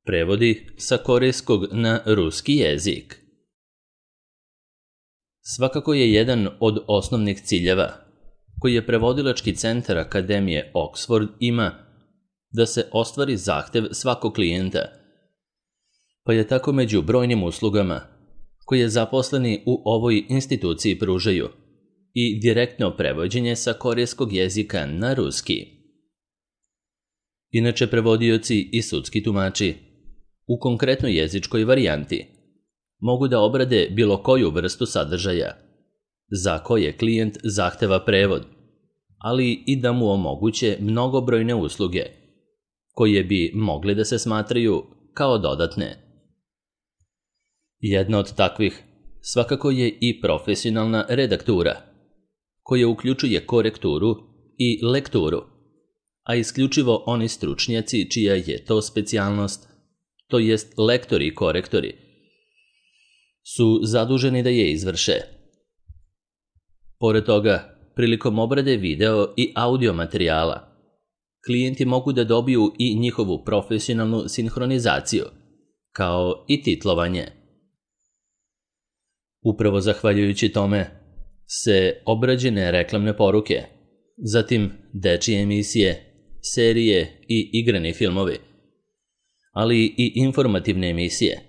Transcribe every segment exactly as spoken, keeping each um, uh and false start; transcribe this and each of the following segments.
Prevodi sa korejskog na ruski jezik. Svakako je jedan od osnovnih ciljeva koji je prevodilački centar Akademije Oxford ima da se ostvari zahtev svakog klijenta, pa je tako među brojnim uslugama koje zaposleni u ovoj instituciji pružaju i direktno prevođenje sa korejskog jezika na ruski. Inače, prevodioci i sudski tumači u konkretnoj jezičkoj varijanti mogu da obrade bilo koju vrstu sadržaja za koje klijent zahteva prevod, ali i da mu omoguće mnogobrojne usluge koje bi mogle da se smatraju kao dodatne. Jedna od takvih svakako je i profesionalna redaktura, koja uključuje korekturu i lekturu, a isključivo oni stručnjaci čija je to specijalnost, to jest lektori i korektori, su zaduženi da je izvrše. Pored toga, prilikom obrade video i audio materijala, klijenti mogu da dobiju i njihovu profesionalnu sinhronizaciju, kao i titlovanje. Upravo zahvaljujući tome se obrađene reklamne poruke, zatim dečije emisije, serije i igrani filmovi, ali i informativne emisije,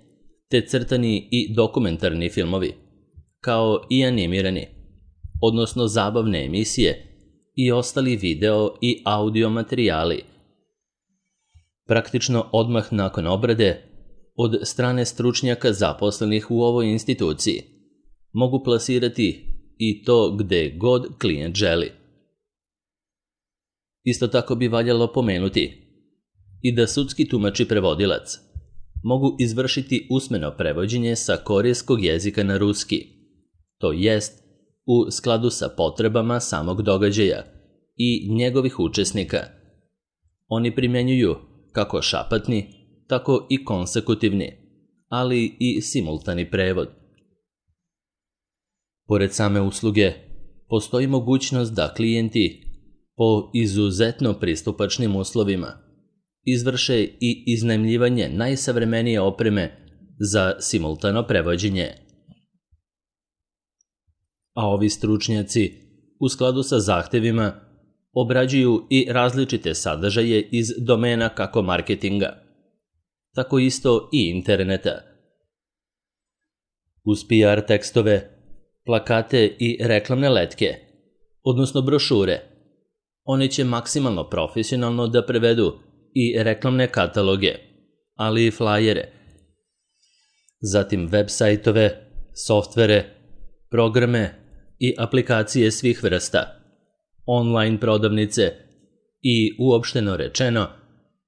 te crtani i dokumentarni filmovi, kao i animirani, odnosno zabavne emisije i ostali video i audio materijali. Praktično odmah nakon obrade, od strane stručnjaka zaposlenih u ovoj instituciji, mogu plasirati i to gde god klijent želi. Isto tako bi valjalo pomenuti i da sudski tumač i prevodilac mogu izvršiti usmeno prevođenje sa korejskog jezika na ruski, to jest u skladu sa potrebama samog događaja i njegovih učesnika. Oni primjenjuju kako šapatni, tako i konsekutivni, ali i simultani prevod. Pored same usluge, postoji mogućnost da klijenti po izuzetno pristupačnim uslovima izvrše i iznajmljivanje najsavremenije opreme za simultano prevođenje. A ovi stručnjaci, u skladu sa zahtevima, obrađuju i različite sadržaje iz domena kako marketinga, tako isto i interneta. Uz P R tekstove, plakate i reklamne letke, odnosno brošure, oni će maksimalno profesionalno da prevedu i reklamne kataloge, ali i flajere, zatim web sajtove, softvere, programe i aplikacije svih vrsta, online prodavnice i, uopšteno rečeno,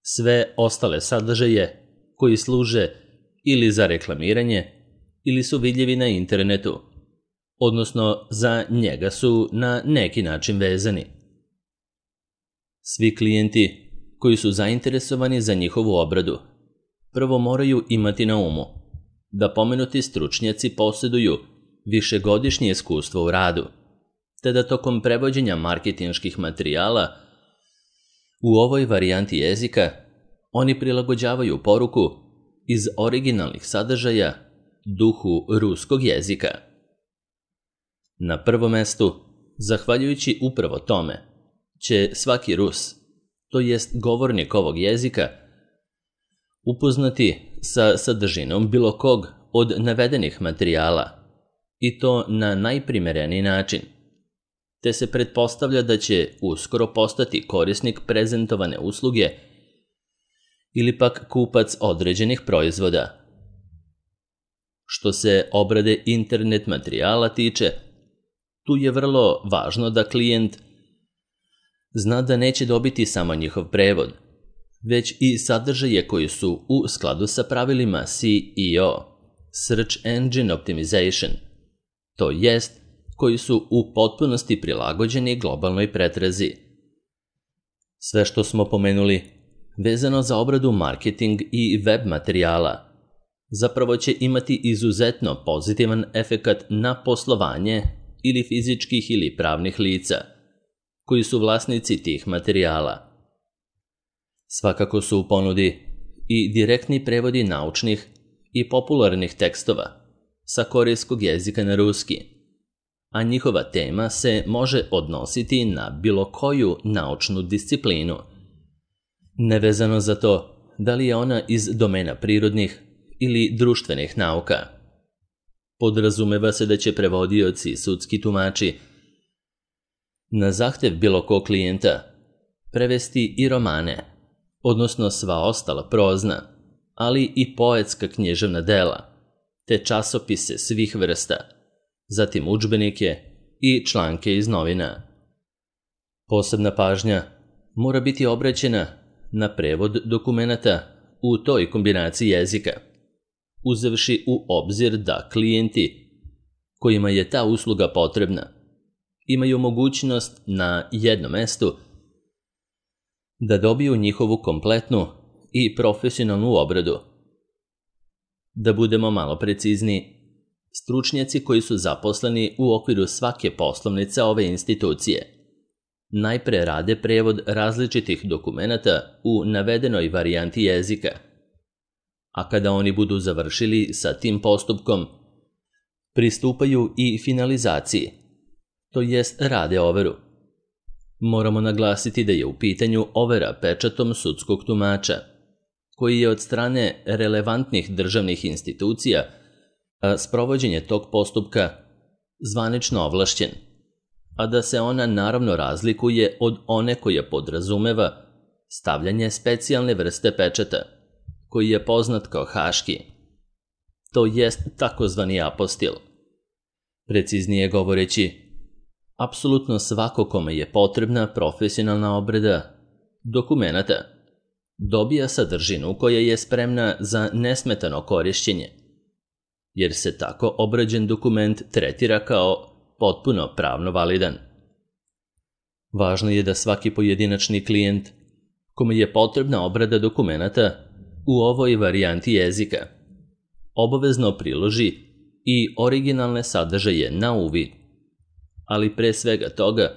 sve ostale sadržaje koji služe ili za reklamiranje ili su vidljivi na internetu, odnosno za njega su na neki način vezani. Svi klijenti koji su zainteresovani za njihovu obradu prvo moraju imati na umu da pomenuti stručnjaci posjeduju višegodišnje iskustvo u radu, te da tokom prevođenja marketinških materijala u ovoj varijanti jezika oni prilagođavaju poruku iz originalnih sadržaja duhu ruskog jezika. Na prvom mestu, zahvaljujući upravo tome, će svaki Rus, to jest govornik ovog jezika, upoznati sa sadržinom bilo kog od navedenih materijala, i to na najprimereniji način, te se pretpostavlja da će uskoro postati korisnik prezentovane usluge ili pak kupac određenih proizvoda. Što se obrade internet materijala tiče, tu je vrlo važno da klijent zna da neće dobiti samo njihov prevod, već i sadržaje koji su u skladu sa pravilima S E O, Search Engine Optimization, to jest koji su u potpunosti prilagođeni globalnoj pretrazi. Sve što smo pomenuli, vezano za obradu marketing i web materijala, zapravo će imati izuzetno pozitivan efekat na poslovanje ili fizičkih ili pravnih lica, koji su vlasnici tih materijala. Svakako su u ponudi i direktni prevodi naučnih i popularnih tekstova sa korejskog jezika na ruski, a njihova tema se može odnositi na bilo koju naučnu disciplinu, nevezano za to da li je ona iz domena prirodnih ili društvenih nauka. Podrazumeva se da će prevodioci i sudski tumači na zahtev bilo kog klijenta prevesti i romane, odnosno sva ostala prozna, ali i poetska književna dela, te časopise svih vrsta, zatim udžbenike i članke iz novina. Posebna pažnja mora biti obraćena na prevod dokumenata u toj kombinaciji jezika, uzevši u obzir da klijenti kojima je ta usluga potrebna imaju mogućnost na jednom mestu da dobiju njihovu kompletnu i profesionalnu obradu. Da budemo malo precizniji, stručnjaci koji su zaposleni u okviru svake poslovnice ove institucije najpre rade prevod različitih dokumenata u navedenoj varijanti jezika, a kada oni budu završili sa tim postupkom, pristupaju i finalizaciji, to jest rade overu. Moramo naglasiti da je u pitanju overa pečatom sudskog tumača, koji je od strane relevantnih državnih institucija a sprovođenje tog postupka zvanično ovlašćen, a da se ona naravno razlikuje od one koja podrazumeva stavljanje specijalne vrste pečata, koji je poznat kao haški, to jest takozvani apostil. Preciznije govoreći, apsolutno svako kome je potrebna profesionalna obrada dokumenata dobija sadržinu koja je spremna za nesmetano korišćenje, jer se tako obrađen dokument tretira kao potpuno pravno validan. Važno je da svaki pojedinačni klijent kome je potrebna obrada dokumenata u ovoj varijanti jezika obavezno priloži i originalne sadržaje na uvid, ali pre svega toga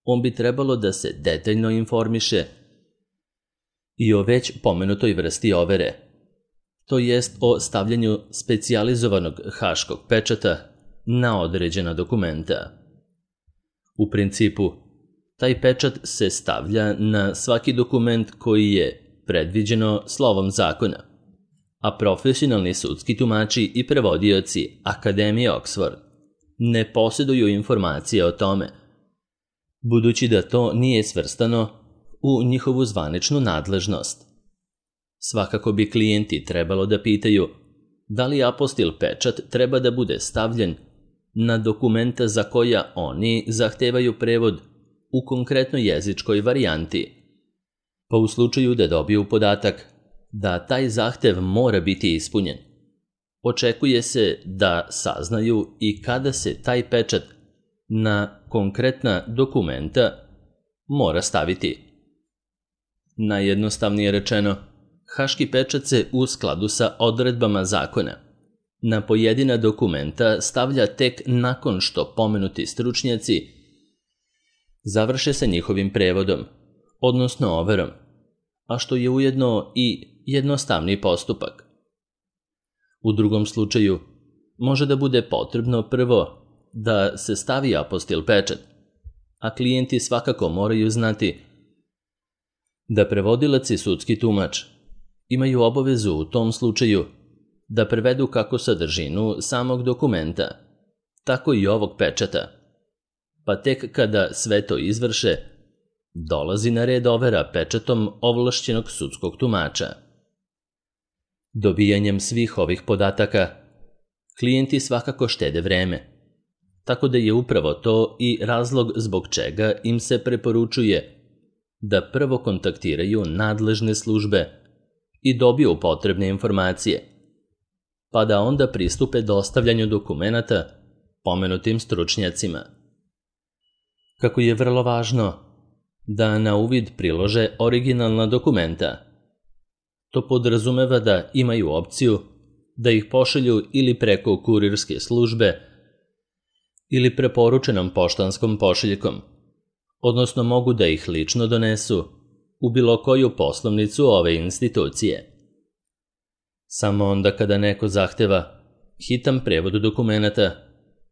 on bi trebalo da se detaljno informiše i o već pomenutoj vrsti overe, to jest o stavljanju specijalizovanog haškog pečata na određena dokumenta. U principu, taj pečat se stavlja na svaki dokument koji je predviđeno slovom zakona, a profesionalni sudski tumači i prevodioci Akademije Oxford ne posjeduju informacije o tome, budući da to nije svrstano u njihovu zvaničnu nadležnost. Svakako bi klijenti trebalo da pitaju da li apostil pečat treba da bude stavljen na dokumenta za koja oni zahtevaju prevod u konkretnoj jezičkoj varijanti, pa u slučaju da dobiju podatak da taj zahtev mora biti ispunjen, očekuje se da saznaju i kada se taj pečat na konkretna dokumenta mora staviti. Najjednostavnije rečeno, haški pečat se u skladu sa odredbama zakona na pojedina dokumenta stavlja tek nakon što pomenuti stručnjaci završe sa njihovim prevodom, odnosno overom, a što je ujedno i jednostavni postupak. U drugom slučaju, može da bude potrebno prvo da se stavi apostil pečat, a klijenti svakako moraju znati da prevodilac i sudski tumač imaju obavezu u tom slučaju da prevedu kako sadržinu samog dokumenta, tako i ovog pečata, pa tek kada sve to izvrše, dolazi na red overa pečatom ovlašćenog sudskog tumača. Dobijanjem svih ovih podataka, klijenti svakako štede vreme, tako da je upravo to i razlog zbog čega im se preporučuje da prvo kontaktiraju nadležne službe i dobiju potrebne informacije, pa da onda pristupe dostavljanju dokumenata pomenutim stručnjacima. Kako je vrlo važno da na uvid prilože originalna dokumenta, to podrazumeva da imaju opciju da ih pošalju ili preko kurirske službe ili preporučenom poštanskom pošiljkom, odnosno mogu da ih lično donesu u bilo koju poslovnicu ove institucije. Samo onda kada neko zahteva hitan prevod dokumenata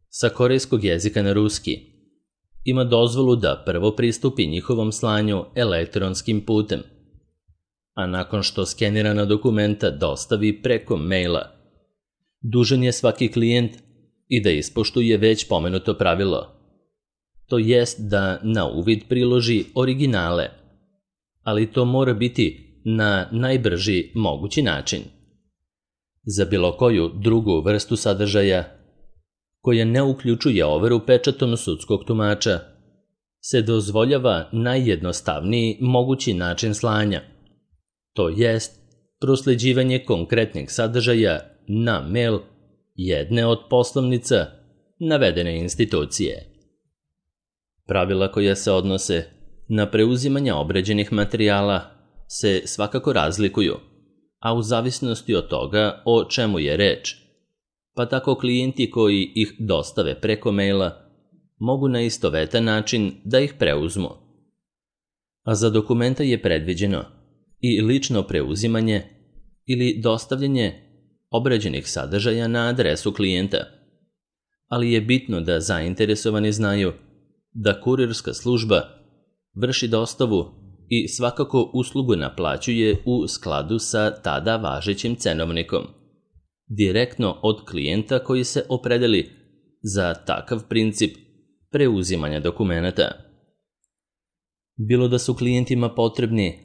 sa korejskog jezika na ruski, ima dozvolu da prvo pristupi njihovom slanju elektronskim putem, a nakon što skenirana dokumenta dostavi preko maila, dužan je svaki klijent i da ispoštuje već pomenuto pravilo, to jest da na uvid priloži originale, ali to mora biti na najbrži mogući način. Za bilo koju drugu vrstu sadržaja, koja ne uključuje overu pečatom sudskog tumača, se dozvoljava najjednostavniji mogući način slanja, to jest prosleđivanje konkretnih sadržaja na mail jedne od poslovnica navedene institucije. Pravila koja se odnose na preuzimanje obrađenih materijala se svakako razlikuju, a u zavisnosti od toga o čemu je reč, pa tako klijenti koji ih dostave preko maila mogu na istovetan način da ih preuzmu. A za dokumenta je predviđeno i lično preuzimanje ili dostavljanje obrađenih sadržaja na adresu klijenta, ali je bitno da zainteresovani znaju da kurirska služba vrši dostavu i svakako uslugu naplaćuje u skladu sa tada važećim cenovnikom, direktno od klijenta koji se opredeli za takav princip preuzimanja dokumenata. Bilo da su klijentima potrebni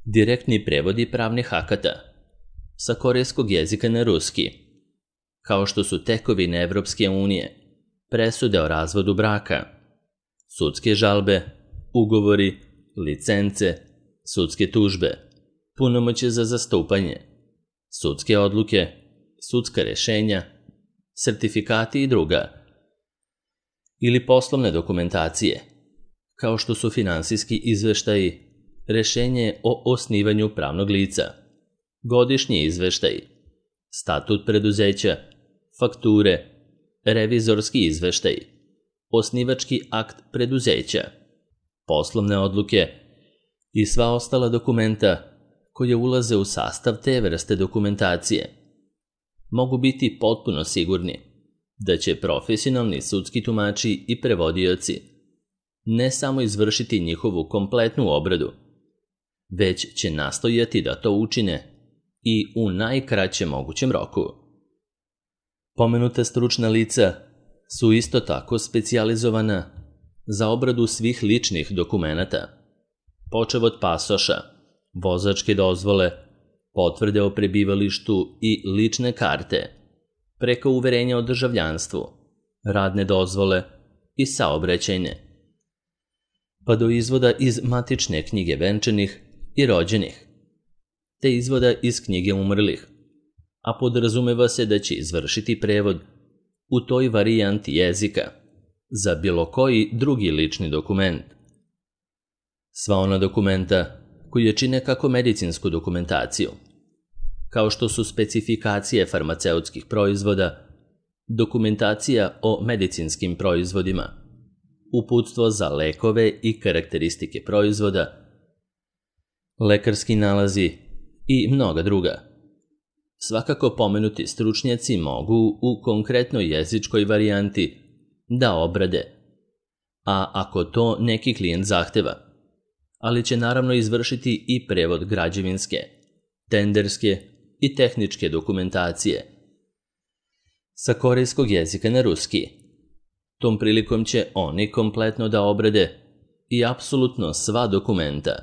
direktni prevodi pravnih akata sa korejskog jezika na ruski, kao što su tekovine Evropske unije, presude o razvodu braka, sudske žalbe, ugovori, licence, sudske tužbe, punomoćje za zastupanje, sudske odluke, sudska rešenja, sertifikati i druga, ili poslovne dokumentacije, kao što su finansijski izveštaji, rešenje o osnivanju pravnog lica, godišnji izveštaji, statut preduzeća, fakture, revizorski izveštaji, osnivački akt preduzeća, poslovne odluke i sva ostala dokumenta koje ulaze u sastav te vrste dokumentacije. Mogu biti potpuno sigurni da će profesionalni sudski tumači i prevodioci ne samo izvršiti njihovu kompletnu obradu, već će nastojati da to učine i u najkraćem mogućem roku. Pomenuta stručna lica su isto tako specijalizovana za obradu svih ličnih dokumenata, počev od pasoša, vozačke dozvole, potvrde o prebivalištu i lične karte, preko uverenja o državljanstvu, radne dozvole i saobraćajne, pa do izvoda iz matične knjige venčanih i rođenih, te izvoda iz knjige umrlih, a podrazumeva se da će izvršiti prevod u toj varijanti jezika za bilo koji drugi lični dokument. Sva ona dokumenta koje čine kako medicinsku dokumentaciju, kao što su specifikacije farmaceutskih proizvoda, dokumentacija o medicinskim proizvodima, uputstvo za lekove i karakteristike proizvoda, lekarski nalazi i mnoga druga. Svakako pomenuti stručnjaci mogu u konkretnoj jezičkoj varijanti da obrade, a ako to neki klijent zahteva, ali će naravno izvršiti i prevod građevinske, tenderske i tehničke dokumentacije sa korejskog jezika na ruski. Tom prilikom će oni kompletno da obrade i apsolutno sva dokumenta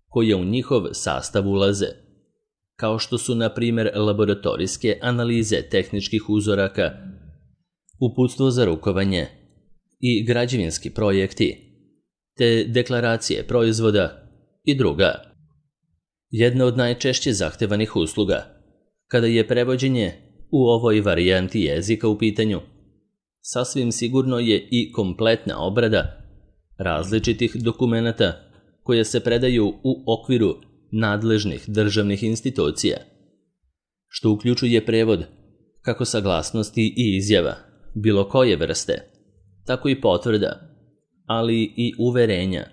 koje u njihov sastav ulaze, kao što su na primjer laboratorijske analize tehničkih uzoraka, uputstvo za rukovanje i građevinski projekti, te deklaracije proizvoda i druga. Jedna od najčešće zahtevanih usluga, kada je prevođenje u ovoj varijanti jezika u pitanju, sasvim sigurno je i kompletna obrada različitih dokumenata koje se predaju u okviru nadležnih državnih institucija, što uključuje prevod kako saglasnosti i izjava bilo koje vrste, tako i potvrda, ali i uverenja,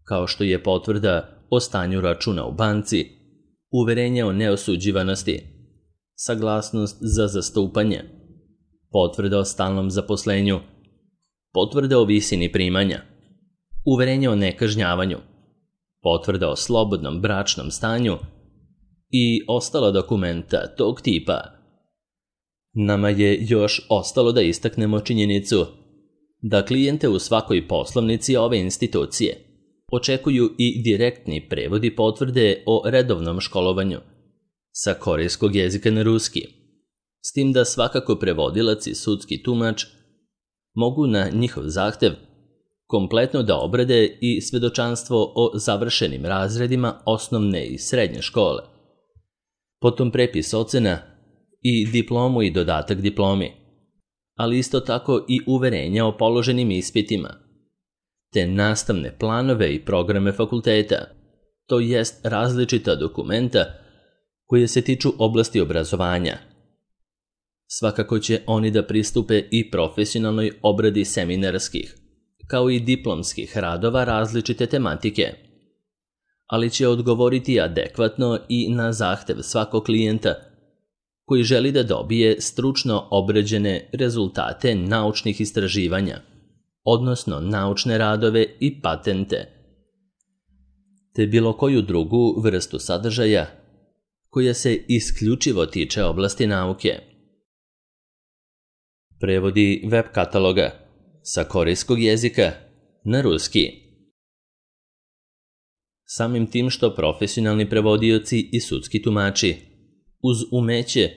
kao što je potvrda o stanju računa u banci, uverenje o neosuđivanosti, saglasnost za zastupanje, potvrda o stalnom zaposlenju, potvrda o visini primanja, uverenje o nekažnjavanju, potvrda o slobodnom bračnom stanju i ostala dokumenta tog tipa. Nama je još ostalo da istaknemo činjenicu da klijente u svakoj poslovnici ove institucije očekuju i direktni prevodi potvrde o redovnom školovanju sa korejskog jezika na ruski, s tim da svakako prevodilac i sudski tumač mogu na njihov zahtev kompletno da obrade i svedočanstvo o završenim razredima osnovne i srednje škole, potom prepis ocena i diplomu i dodatak diplomi, ali isto tako i uverenja o položenim ispitima, te nastavne planove i programe fakulteta, to jest različita dokumenta koje se tiču oblasti obrazovanja. Svakako će oni da pristupe i profesionalnoj obradi seminarskih, kao i diplomskih radova različite tematike, ali će odgovoriti adekvatno i na zahtev svakog klijenta koji želi da dobije stručno obrađene rezultate naučnih istraživanja, odnosno naučne radove i patente, te bilo koju drugu vrstu sadržaja koja se isključivo tiče oblasti nauke. Prevodi web kataloga sa korejskog jezika na ruski. Samim tim što profesionalni prevodioci i sudski tumači uz umeće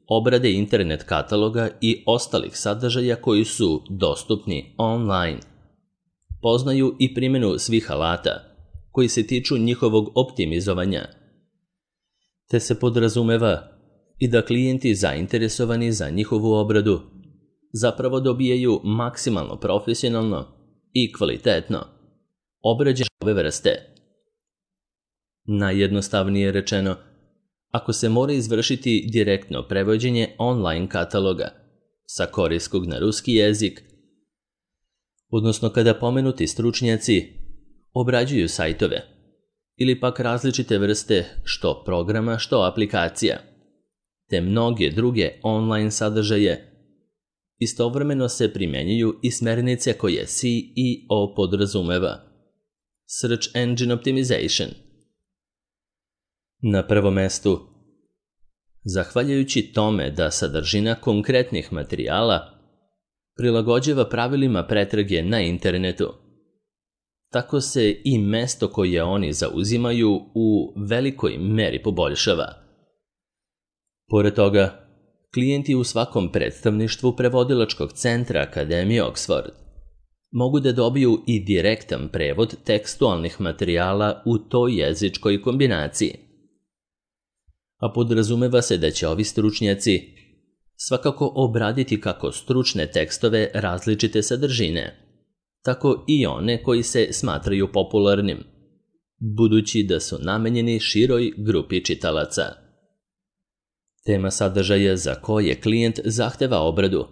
obrade internet kataloga i ostalih sadržaja koji su dostupni online, poznaju i primjenu svih alata koji se tiču njihovog optimizovanja, te se podrazumeva i da klijenti zainteresovani za njihovu obradu zapravo dobijaju maksimalno profesionalno i kvalitetno obrađene ove vrste. Najjednostavnije rečeno, ako se mora izvršiti direktno prevođenje online kataloga sa korejskog na ruski jezik, odnosno kada pomenuti stručnjaci obrađuju sajtove ili pak različite vrste što programa, što aplikacija, te mnoge druge online sadržaje, istovremeno se primjenjuju i smernice koje C E O podrazumeva, Search Engine Optimization. Na prvom mestu, zahvaljujući tome da sadržina konkretnih materijala prilagođava pravilima pretrage na internetu, tako se i mesto koje oni zauzimaju u velikoj meri poboljšava. Pored toga, klijenti u svakom predstavništvu prevodilačkog centra Akademije Oxford mogu da dobiju i direktan prevod tekstualnih materijala u toj jezičkoj kombinaciji. A podrazumeva se da će ovi stručnjaci svakako obraditi kako stručne tekstove različite sadržine, tako i one koji se smatraju popularnim, budući da su namenjeni široj grupi čitalaca. Tema sadržaja za koje klijent zahteva obradu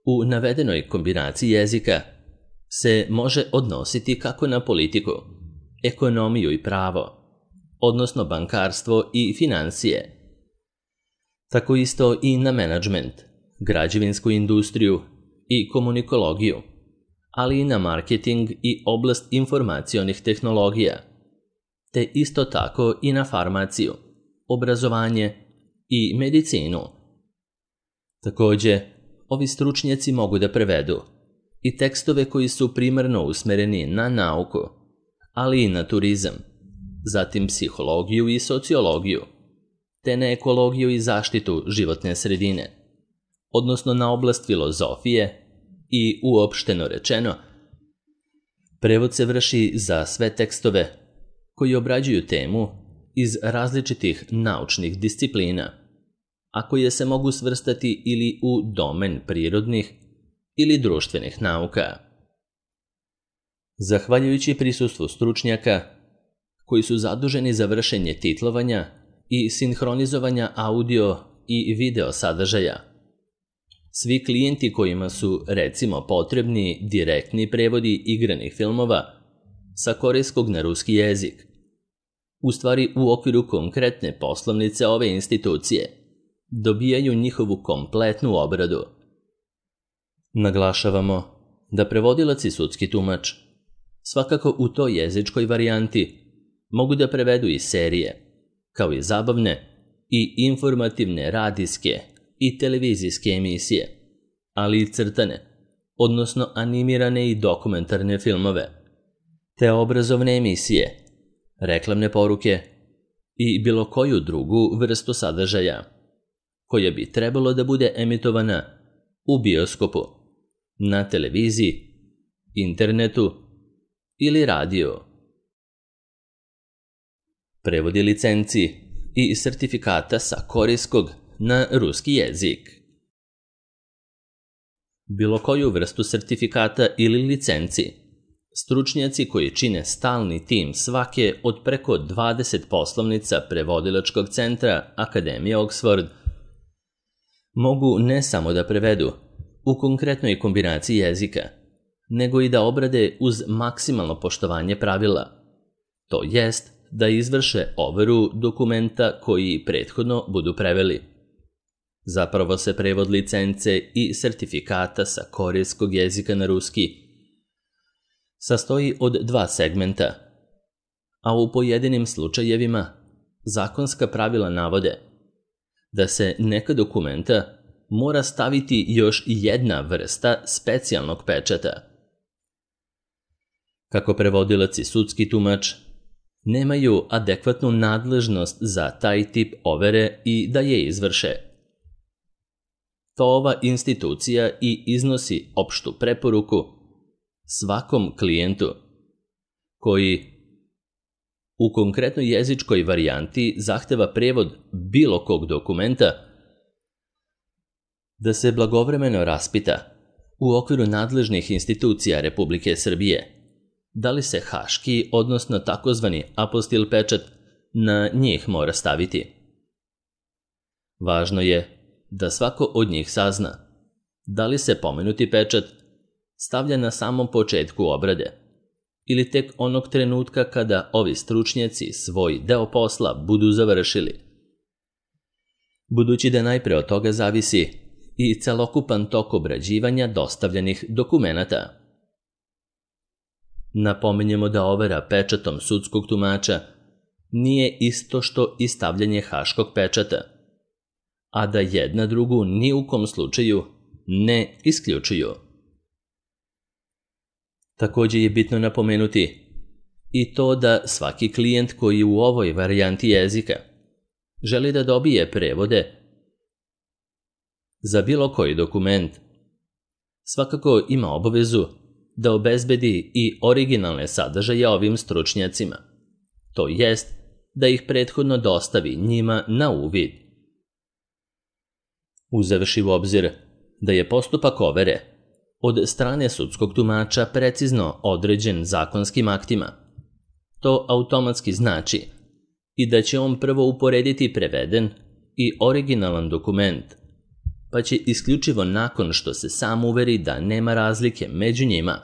u navedenoj kombinaciji jezika se može odnositi kako na politiku, ekonomiju i pravo, odnosno bankarstvo i financije, tako isto i na menadžment, građevinsku industriju i komunikologiju, ali i na marketing i oblast informacionih tehnologija, te isto tako i na farmaciju, obrazovanje i medicinu. Takođe, ovi stručnjaci mogu da prevedu i tekstove koji su primarno usmereni na nauku, ali i na turizam, zatim psihologiju i sociologiju, te na ekologiju i zaštitu životne sredine, odnosno na oblast filozofije i, uopšteno rečeno, prevod se vrši za sve tekstove koji obrađuju temu iz različitih naučnih disciplina, a koje se mogu svrstati ili u domen prirodnih ili društvenih nauka. Zahvaljujući prisustvu stručnjaka koji su zaduženi za vršenje titlovanja i sinhronizovanja audio i video sadržaja, svi klijenti kojima su, recimo, potrebni direktni prevodi igranih filmova sa korejskog na ruski jezik, u stvari u okviru konkretne poslovnice ove institucije, dobijaju njihovu kompletnu obradu. Naglašavamo da prevodilac i sudski tumač, svakako u toj jezičkoj varijanti, mogu da prevedu i serije, kao i zabavne i informativne radijske i televizijske emisije, ali i crtane, odnosno animirane i dokumentarne filmove, te obrazovne emisije, reklamne poruke i bilo koju drugu vrstu sadržaja, koja bi trebalo da bude emitovana u bioskopu, na televiziji, internetu ili radiju. Prevodi licenci i sertifikata sa korejskog na ruski jezik. Bilo koju vrstu sertifikata ili licenci, stručnjaci koji čine stalni tim svake od preko dvadeset poslovnica prevodilačkog centra Akademije Oxford mogu ne samo da prevedu u konkretnoj kombinaciji jezika, nego i da obrade uz maksimalno poštovanje pravila, to jest da izvrše overu dokumenta koji prethodno budu preveli. Zapravo se prevod licence i sertifikata sa korejskog jezika na ruski sastoji od dva segmenta, a u pojedinim slučajevima zakonska pravila navode da se neka dokumenta mora staviti još jedna vrsta specijalnog pečata. Kako prevodilac i sudski tumač nemaju adekvatnu nadležnost za taj tip overe i da je izvrše. To ova institucija i iznosi opštu preporuku svakom klijentu koji u konkretnoj jezičkoj varijanti zahteva prevod bilo kog dokumenta da se blagovremeno raspita u okviru nadležnih institucija Republike Srbije da li se haški, odnosno takozvani apostil pečat na njih mora staviti. Važno je da svako od njih sazna da li se pomenuti pečat stavlja na samom početku obrade ili tek onog trenutka kada ovi stručnjaci svoj deo posla budu završili. Budući da najpre od toga zavisi i celokupan tok obrađivanja dostavljenih dokumenata. Napominjemo da overa pečatom sudskog tumača nije isto što i stavljanje haškog pečata, a da jedna drugu ni u kom slučaju ne isključuju. Također je bitno napomenuti i to da svaki klijent koji u ovoj varijanti jezika želi da dobije prevode za bilo koji dokument, svakako ima obavezu da obezbedi i originalne sadržaje ovim stručnjacima, to jest da ih prethodno dostavi njima na uvid. Uzevši u obzir da je postupak overe od strane sudskog tumača precizno određen zakonskim aktima, to automatski znači i da će on prvo uporediti preveden i originalan dokument, pa će isključivo nakon što se sam uveri da nema razlike među njima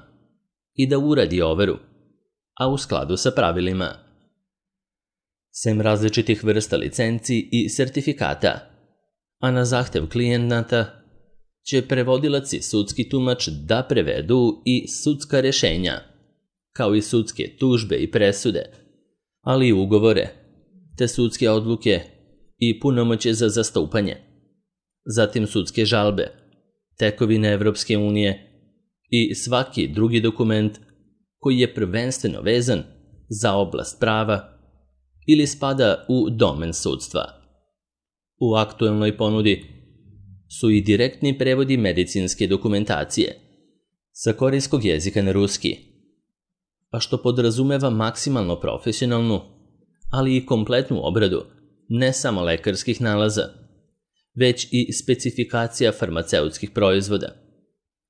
i da uradi overu, a u skladu sa pravilima. Sem različitih vrsta licenci i sertifikata, a na zahtev klijenata će prevodilac i sudski tumač da prevedu i sudska rešenja, kao i sudske tužbe i presude, ali i ugovore, te sudske odluke i punomoćje za zastupanje, zatim sudske žalbe, tekovine Evropske unije i svaki drugi dokument koji je prvenstveno vezan za oblast prava ili spada u domen sudstva. U aktuelnoj ponudi su i direktni prevodi medicinske dokumentacije sa korejskog jezika na ruski, a što podrazumeva maksimalno profesionalnu, ali i kompletnu obradu ne samo lekarskih nalaza, već i specifikacija farmaceutskih proizvoda,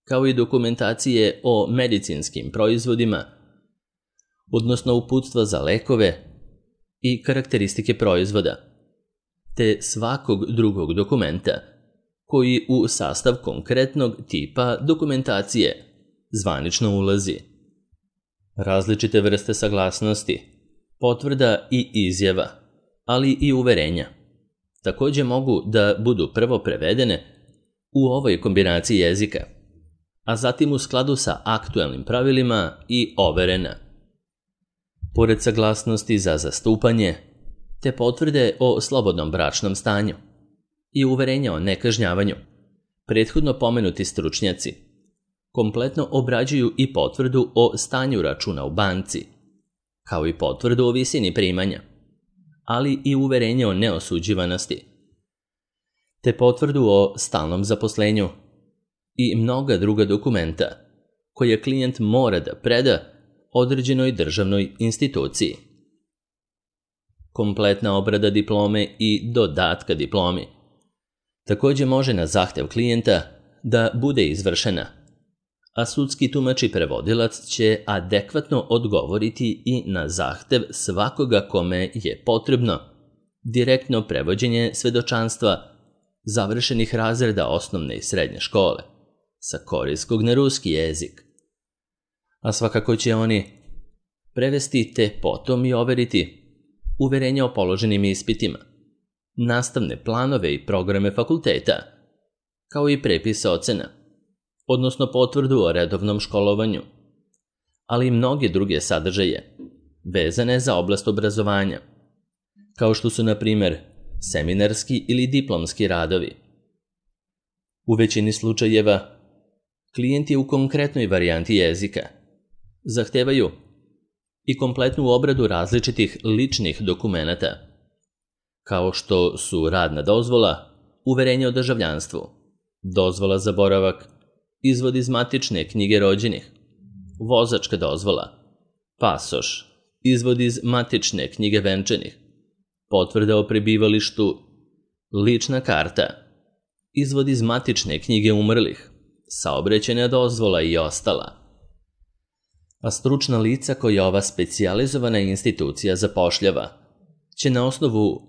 kao i dokumentacije o medicinskim proizvodima, odnosno uputstva za lekove i karakteristike proizvoda, te svakog drugog dokumenta koji u sastav konkretnog tipa dokumentacije zvanično ulazi. Različite vrste saglasnosti, potvrda i izjava, ali i uverenja, takođe mogu da budu prvo prevedene u ovoj kombinaciji jezika, a zatim u skladu sa aktuelnim pravilima i overena. Pored saglasnosti za zastupanje, te potvrde o slobodnom bračnom stanju i uverenja o nekažnjavanju, prethodno pomenuti stručnjaci kompletno obrađuju i potvrdu o stanju računa u banci, kao i potvrdu o visini primanja, ali i uverenje o neosuđivanosti, te potvrdu o stalnom zaposlenju i mnoga druga dokumenta koje klijent mora da preda određenoj državnoj instituciji. Kompletna obrada diplome i dodatka diplomi takođe može na zahtev klijenta da bude izvršena, a sudski tumač i prevodilac će adekvatno odgovoriti i na zahtev svakoga kome je potrebno direktno prevođenje svedočanstva završenih razreda osnovne i srednje škole sa korejskog na ruski jezik. A svakako će oni prevesti te potom i overiti uverenja o položenim ispitima, nastavne planove i programe fakulteta, kao i prepise ocena, odnosno potvrdu o redovnom školovanju, ali i mnoge druge sadržaje vezane za oblast obrazovanja, kao što su, na primer, seminarski ili diplomski radovi. U većini slučajeva, klijenti u konkretnoj varijanti jezika zahtevaju i kompletnu obradu različitih ličnih dokumenata, kao što su radna dozvola, uverenje o državljanstvu, dozvola za boravak, izvod iz matične knjige rođenih, vozačka dozvola, pasoš, izvod iz matične knjige venčanih, potvrda o prebivalištu, lična karta, izvod iz matične knjige umrlih, saobraćajna dozvola i ostala. A stručna lica koja ova specijalizovana institucija zapošljava će na osnovu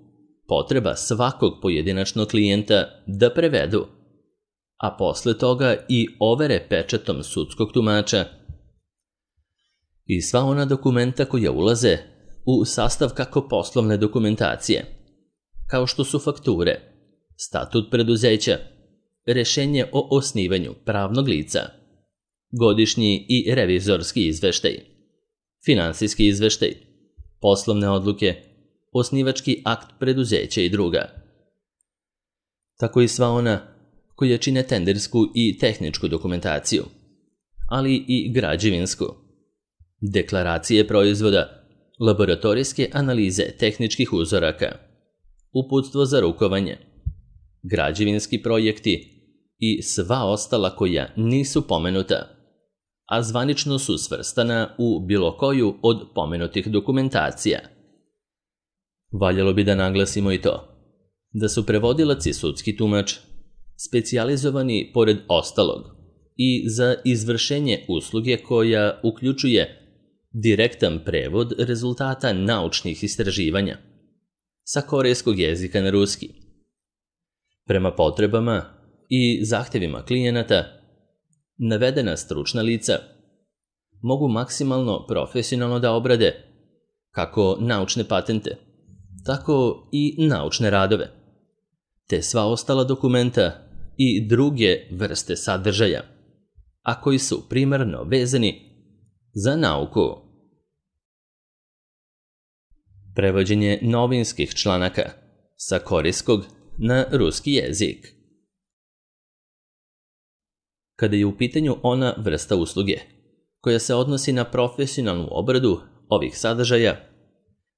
potreba svakog pojedinačnog klijenta da prevedu, a posle toga i overe pečatom sudskog tumača i sva ona dokumenta koja ulaze u sastav kako poslovne dokumentacije, kao što su fakture, statut preduzeća, rešenje o osnivanju pravnog lica, godišnji i revizorski izveštaj, finansijski izveštaj, poslovne odluke, osnivački akt preduzeća i druga. Tako i sva ona koja čine tendersku i tehničku dokumentaciju, ali i građevinsku, deklaracije proizvoda, laboratorijske analize tehničkih uzoraka, uputstvo za rukovanje, građevinski projekti i sva ostala koja nisu pomenuta, a zvanično su svrstana u bilo koju od pomenutih dokumentacija. Valjalo bi da naglasimo i to, da su prevodilac i sudski tumač specijalizovani pored ostalog i za izvršenje usluge koja uključuje direktan prevod rezultata naučnih istraživanja sa korejskog jezika na ruski. Prema potrebama i zahtevima klijenata, navedena stručna lica mogu maksimalno profesionalno da obrade kako naučne patente, tako i naučne radove, te sva ostala dokumenta i druge vrste sadržaja, a koji su primarno vezani za nauku. Prevođenje novinskih članaka sa korejskog na ruski jezik. Kada je u pitanju ona vrsta usluge koja se odnosi na profesionalnu obradu ovih sadržaja,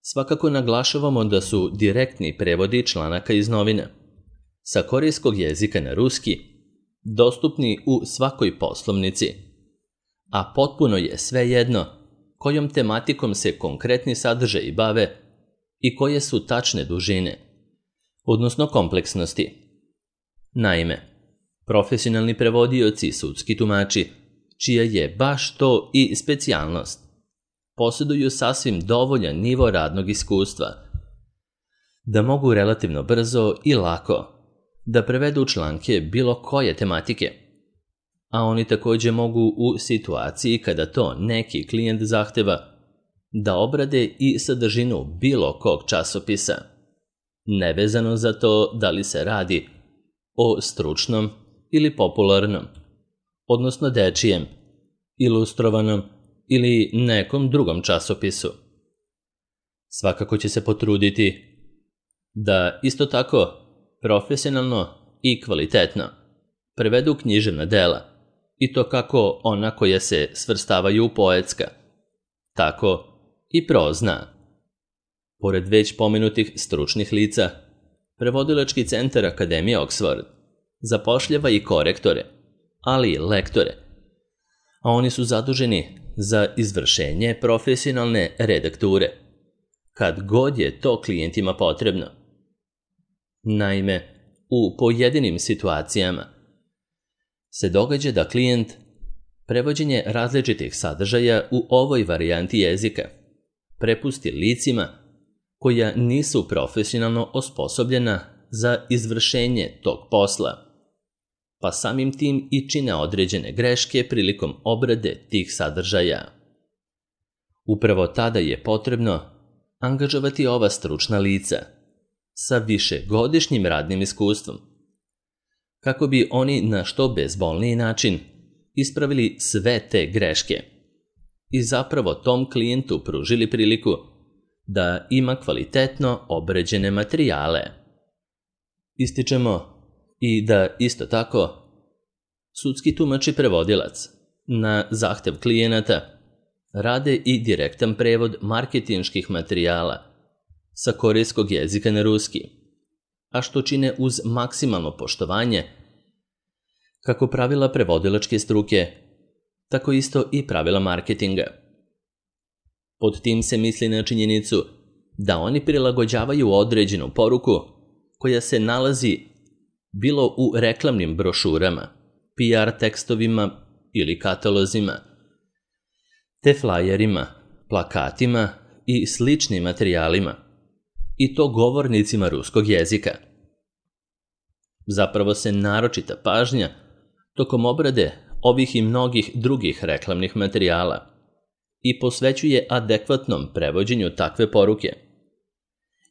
svakako naglašavamo da su direktni prevodi članaka iz novina sa korejskog jezika na ruski dostupni u svakoj poslovnici, a potpuno je svejedno kojom tematikom se konkretni sadržaji bave i koje su tačne dužine, odnosno kompleksnosti. Naime, profesionalni prevodioci i sudski tumači, čija je baš to i specijalnost, posjeduju sasvim dovoljan nivo radnog iskustva, da mogu relativno brzo i lako da prevedu članke bilo koje tematike, a oni takođe mogu u situaciji kada to neki klijent zahteva da obrade i sadržinu bilo kog časopisa, nevezano za to da li se radi o stručnom ili popularnom, odnosno dečijem, ilustrovanom ili nekom drugom časopisu. Svakako će se potruditi da isto tako profesionalno i kvalitetno prevedu književna dela, i to kako ona koja se svrstavaju u poetska, tako i prozna. Pored već pomenutih stručnih lica, Prevodilački centar Akademije Oxford zapošljava i korektore, ali i lektore, a oni su zaduženi za izvršenje profesionalne redakture, kad god je to klijentima potrebno. Naime, u pojedinim situacijama se događa da klijent prevođenje različitih sadržaja u ovoj varijanti jezika prepusti licima koja nisu profesionalno osposobljena za izvršenje tog posla, pa samim tim i čine određene greške prilikom obrade tih sadržaja. Upravo tada je potrebno angažovati ova stručna lica sa višegodišnjim radnim iskustvom, kako bi oni na što bezbolniji način ispravili sve te greške i zapravo tom klijentu pružili priliku da ima kvalitetno obrađene materijale. Ističemo i da isto tako sudski tumač i prevodilac na zahtev klijenata rade i direktan prevod marketinških materijala sa korejskog jezika na ruski, a što čine uz maksimalno poštovanje kako pravila prevodilačke struke, tako isto i pravila marketinga. Pod tim se misli na činjenicu da oni prilagođavaju određenu poruku koja se nalazi bilo u reklamnim brošurama, P R tekstovima ili katalozima, te flajerima, plakatima i sličnim materijalima, i to govornicima ruskog jezika. Zapravo se naročita pažnja tokom obrade ovih i mnogih drugih reklamnih materijala i posvećuje adekvatnom prevođenju takve poruke,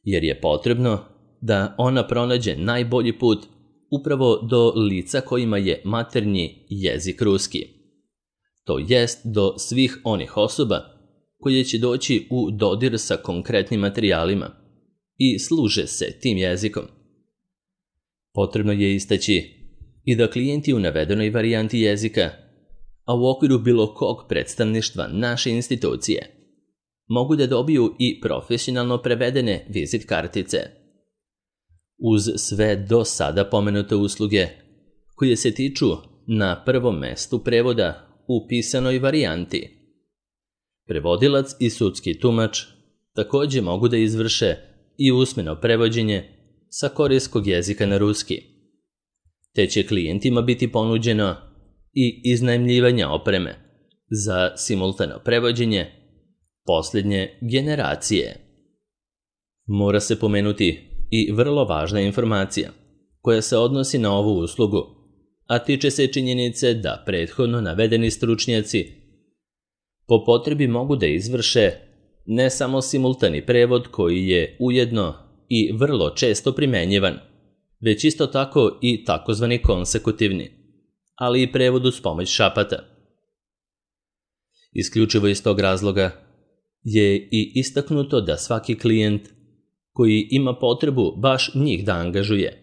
jer je potrebno da ona pronađe najbolji put upravo do lica kojima je maternji jezik ruski, to jest do svih onih osoba koje će doći u dodir sa konkretnim materijalima i služe se tim jezikom. Potrebno je istaći i da klijenti u navedenoj varijanti jezika, a u okviru bilo kog predstavništva naše institucije, mogu da dobiju i profesionalno prevedene vizit kartice. Uz sve do sada pomenute usluge koje se tiču na prvom mestu prevoda u pisanoj varijanti, prevodilac i sudski tumač takođe mogu da izvrše i usmeno prevođenje sa korejskog jezika na ruski, te će klijentima biti ponuđeno i iznajmljivanje opreme za simultano prevođenje posljednje generacije. Mora se pomenuti i vrlo važna informacija koja se odnosi na ovu uslugu, a tiče se činjenice da prethodno navedeni stručnjaci po potrebi mogu da izvrše ne samo simultani prevod koji je ujedno i vrlo često primenjivan, već isto tako i takozvani konsekutivni, ali i prevod uz pomoć šapata. Isključivo iz tog razloga je i istaknuto da svaki klijent koji ima potrebu baš njih da angažuje,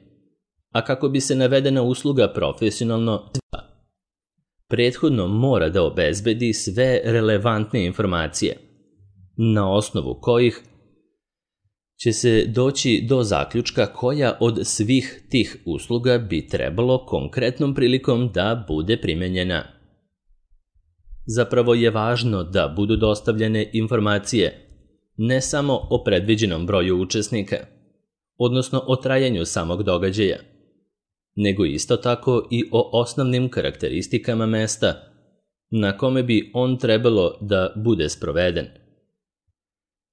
a kako bi se navedena usluga profesionalno prethodno mora da obezbedi sve relevantne informacije, na osnovu kojih će se doći do zaključka koja od svih tih usluga bi trebalo konkretnom prilikom da bude primenjena. Zapravo je važno da budu dostavljene informacije ne samo o predviđenom broju učesnika, odnosno o trajanju samog događaja, nego isto tako i o osnovnim karakteristikama mesta na kome bi on trebalo da bude sproveden.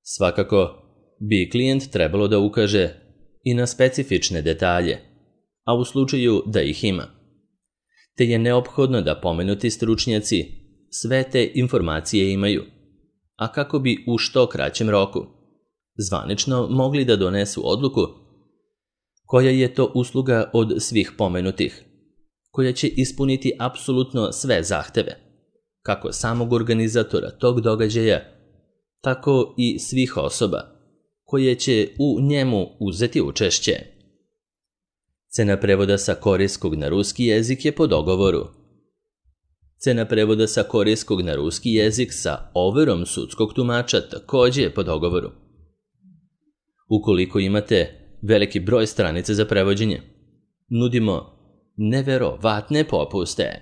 Svakako bi klijent trebalo da ukaže i na specifične detalje, a u slučaju da ih ima, te je neophodno da pomenuti stručnjaci sve te informacije imaju, a kako bi u što kraćem roku zvanično mogli da donesu odluku Koja je to usluga od svih pomenutih, koja će ispuniti apsolutno sve zahteve, kako samog organizatora tog događaja, tako i svih osoba koje će u njemu uzeti učešće. Cena prevoda sa korejskog na ruski jezik je po dogovoru. Cena prevoda sa korejskog na ruski jezik sa overom sudskog tumača također je po dogovoru. Ukoliko imate veliki broj stranica za prevođenje, nudimo neverovatne popuste.